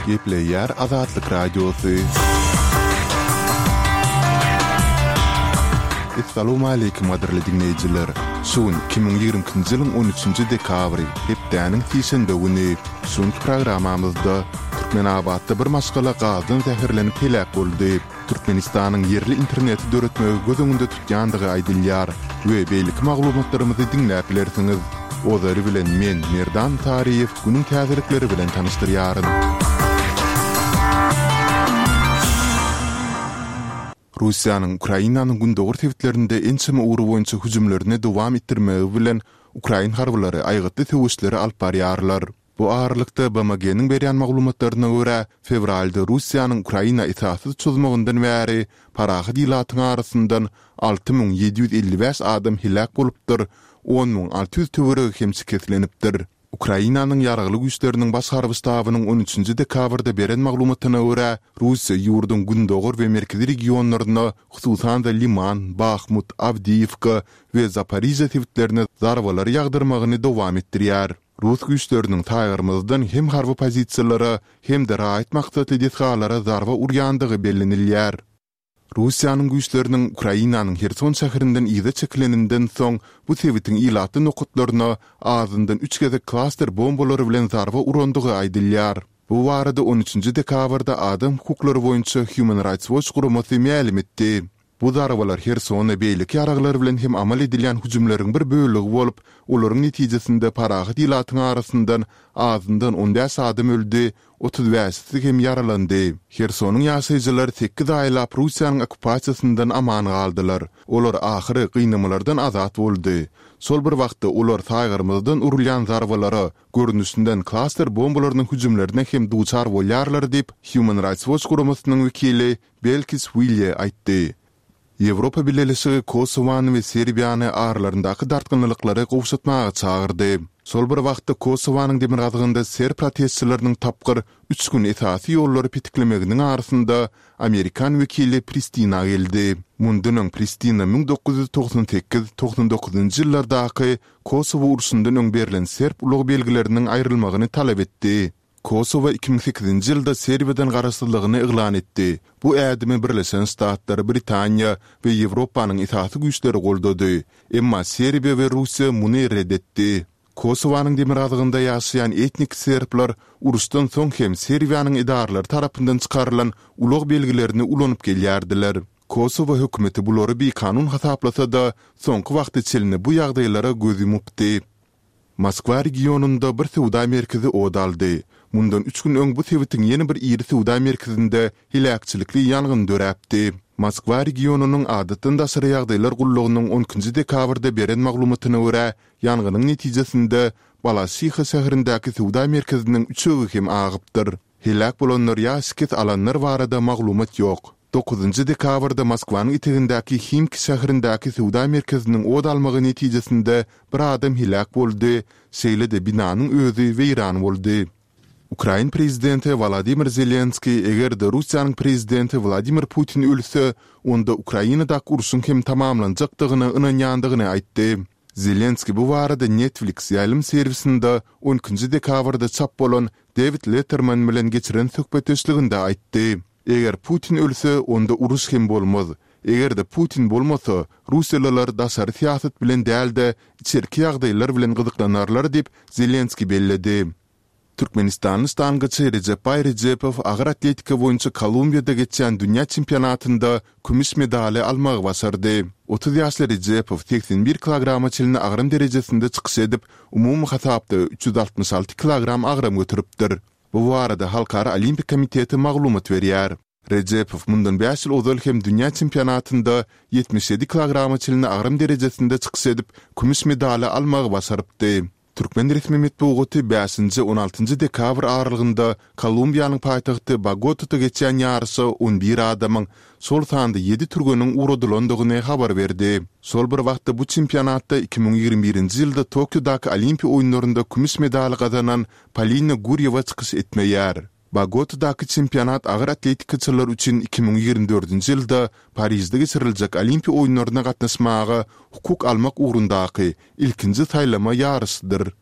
Gepleýär Azatlyk Radiosy. Essalawmaleýkim gadyrly diňleýjiler! Şu gün 2022-nji ýylyň on üçünji dekabry, hepdäniň sişenbe güni. Şu günki programmamyzda Türkmenabatda bir maşgala gazdan zäherlenip heläk boldy. Türkmenistanyň ýerli interneti döretmegi göz öňünde tutýandygy aýdylýar we beýleki maglumatlarymyzy diňläp bilersiňiz. Ozaly bilen men, Merdan Saryýew, günüň täzelikleri bilen tanyşdyrýaryn. Russiýanyň Ukrainanyň gündogar sebitlerinde ençeme ugur boýunça hüjümlerini dowam etdirmegi bilen ukrain harbylary aýgytly söweşleri alyp barýarlar. Bu aralykda, BMG-niň berýän maglumatlaryna görä, fewralda Russiýanyň Ukraina esassyz çozmagyndan bäri parahat ilatyň arasyndan 6755 adam heläk bolupdyr, 10 600 töweregi hem şikeslenipdir. Ukrainanyň Ýaragly Güýçleriniň Baş harby ştabynyň on üçünji dekabrda beren maglumatyna görä, Russiýa ýurduň gündogar we merkezi regionlaryna, hususan-da Liman, Bahmut, Awdiýewka we Zaporižýa sebitlerine zarbalary ýagdyrmagyny dowam etdirýär. Rus güýçleriniň saýgarmazdan hem harby pozisiýalara, hem-de raýat maksatly desgalara zarba urýandygy bellenilýär. Russiýanyň güýçleriniň Ukrainanyň Herson şäherinden yza çekileninden soň, bu sebitiň ilatly nokatlaryna azyndan üç gezek klaster bombalary bilen zarba urandygy aýdylýar. Bu barada on üçünji dekabrda adam hukuklary boýunça Human Rights Watch guramasy mälim etdi. Bu zarbalar Hersona beýleki ýaraglar bilen hem amal edilýän hüjümleriň bir bölegi bolup, olaryň netijesinde parahat ilatyň arasyndan azyndan on bäş adam öldi, otuz bäşisi hem ýaralandy. Hersonyň ýaşaýjylary sekiz aýlap Russiýanyň okkupasiýasyndan aman galdylar. Olar ahyry gynamalardan azat boldy. Şol bir wagtda olar saýgarmazdan urulýan zarbalara, görnüşinden klaster bombalarynyň hüjümlerine hem duçar bolýarlar diýip, Human Rights Watch guramasynyň wekili Belkis Wilýe aýtdy. Ýewropa Bileleşigi Kosowany we Serbiýany aralaryndaky dartgynlylyklary gowşatmaga çagyrdy. Şol bir wagtda Kosowanyň demirgazygynda serb protestçileriniň tapgyr üç gün esasy ýollary petiklemeginiň arasynda amerikan wekili Pristina geldi. Mundan öň Pristina 1998, 99-njy ýyllardaky Kosowo urşundan öň berlen serb ulag belgileriniň aýrylmagyny talap etdi. Kosowo 2008-nji ýylda Serbiýadan garaşsyzlygyny yglan etdi. Bu ädimi Birleşen Ştatlar, Britaniýa we Ýewropanyň esasy güýçleri goldady. Emma Serbiýa we Russiýa muny ret etdi. Kosowanyň demirgazygynda ýaşaýan etnik serbler uruşdan soň hem Serbiýanyň edaralary tarapyndan çykarylan ulag belgilerini ulanyp gelýärdiler. Kosowo hökümeti bulary bikanun hasaplasa-da, soňky wagta çenli bu ýagdaýlara göz ýumupdy. Moskwa regionynda bir söwda merkezi ot aldy. Mundan üç gün öň bu sebitiň ýene bir iri söwda merkezinde heläkçilikli ýangyn döräpdi. Moskwa regionynyň Adatdan daşary ýagdaýlar gullugynyň on ikinji dekabrda beren maglumatyna görä, ýangynyň netijesinde Balaşiha şäherindäki söwda merkeziniň üçegi hem agypdyr. Heläk bolanlar ýa şikes alanlar barada maglumat ýok. Dokuzynjy dekabrda Moskwanyň etegindäki Himki şäherindäki söwda merkeziniň ot almagy netijesinde bir adam heläk boldy, şeýle-de binanyň özi weýran boldy. Ukrain prezidenti Wolodymyr Zelenskiý eger-de Russiýanyň prezidenti Wladimir Putin ölse, onda Ukrainadaky urşuň hem tamamlanjakdygyna ynanýandygyny aýtdy. Zelenskiý bu barada Netflix ýaýlym serwisinde on ikinji dekabrda çap bolan Dewid Letterman bilen geçiren söhbetdeşliginde aýtdy. Eger Putin ölse, onda uruş hem bolmaz. Eger-de Putin bolmasa, russiýalylar daşary syýasat bilen däl-de, içerki ýagdaýlar bilen gyzyklanarlar diýip, Zelenskiý belledi. Türkmenistanly ştangaçy Rejepbaý Rejepow agyr atletika boýunça Kolumbiýada geçýän dünýä çempionatynda kümüş medaly almagy başardy. 30 ýaşly Rejepow 81 kilograma çenli agram derejesinde çykyş edip, umumy hasapda 366 kilogram agram göteripdir. Bu barada Halkara Olimpiýa komiteti maglumat berýär. Rejepow mundan bäş ýyl ozal hem dünýä çempionatynda 77 kilograma çenli agram derejesinde çykyş edip, kümüş medaly almagy başarypdy. Türkmen resmi metbugaty bäşinji, on altynjy dekabr aralygynda Kolumbiýanyň paýtagty Bogotada geçýän ýaryşa on bir adamyň, şol sanda ýedi türgeniň ugradylandygyny habar berdi. Şol bir wagtda bu çempionatda 2021-nji ýylda Tokiodaky Olimpiýa oýunlarynda kümüş medaly gazanan Polina Gurýewa çykyş etmeýär. Bogotadaky çempionat agyr atletikaçylar üçin 2024-nji ýylda Parižde geçiriljek Olimpiýa oýunlaryna gatnaşmaga hukuk almak ugrundaky ilkinji saýlama ýaryşydyr.